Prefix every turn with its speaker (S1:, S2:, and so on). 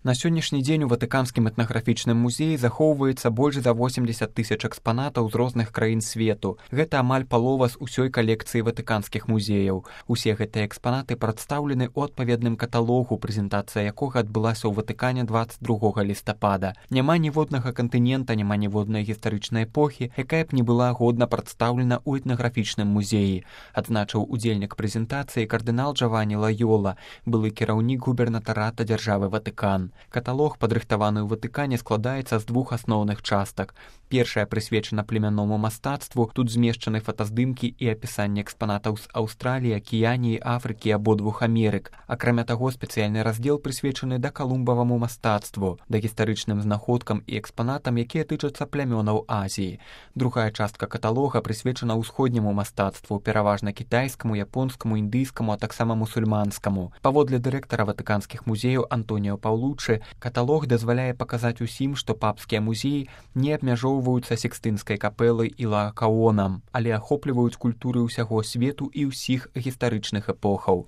S1: На сённяшні дзень у ватыканскім этнаграфічным музеі захоўваецца больш за 80 000 экспанатаў з розных краін свету. Гэта амаль палова з усёй калекцыі ватыканскіх музеяў. Усе гэтыя экспанаты прадстаўлены ў адпаведным каталогу, прэзентацыя якога адбылася ў Ватыкане 22 лістапада. Няма ніводнага кантынента, няма ніводнай гістарычнай эпохі, якая б не была годна прадстаўлена ў этнаграфічным музеі, адзначыў удзельнік прэзентацыі кардынал Джавані Лайола, былы кіраўнік губернатарата дзяржавы Ватыкан. Каталог, падрыхтаваны ў Ватыкане, складаецца з двух асноўных частак. Першая прысвечана племянному мастацтву, тут змешчаны фотаздымкі і апісанне экспанатаў з Аўстраліі, Акіяніі, Афрыкі і абодвух Амерык. Акрамя таго, спецыяльны раздзел прысвечаны дакалумбаваму мастацтву, дагістарычным знаходкам і экспанатам, якія тычацца плямёнаў Азіі. Другая частка каталога прысвечана ўсходняму мастацтву, пераважна кітайскаму, японскаму, індыйскаму, а таксама мусульманскаму. Паводле дырэктара ватыканскіх музеяў Антоніо Паўлуччы, каталог дазваляе паказаць усім, што папскія музеі не абмяжоўваюцца Сікстынскай капэлай і Лаакаонам, але ахопліваюць культуры ўсяго свету і ўсіх гістарычных эпохаў.